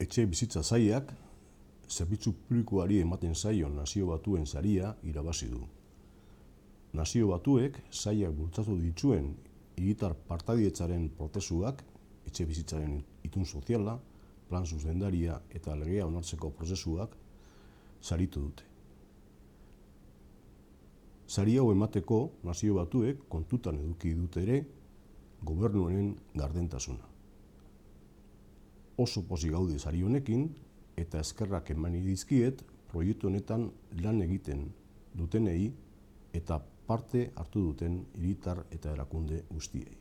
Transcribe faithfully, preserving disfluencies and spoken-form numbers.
Etxe bizitza sailak zerbitzu publikoari ematen zaion Nazio Batuen saria irabazi du. Nazio Batuek sailak bultzatu dituen hiritar partaidetzaren prozesuak, etxe bizitzaren itun soziala, plan zuzendaria eta legea onartzeko prozesuak saritu dute. Sari hau emateko Nazio Batuek kontutan eduki dute ere gobernuaren gardentasuna. Oso pozik gaude sari honekin eta eskerrak eman dizkiet proiektu honetan lan egiten dutenei eta parte hartu duten hiritar eta erakunde guztiei.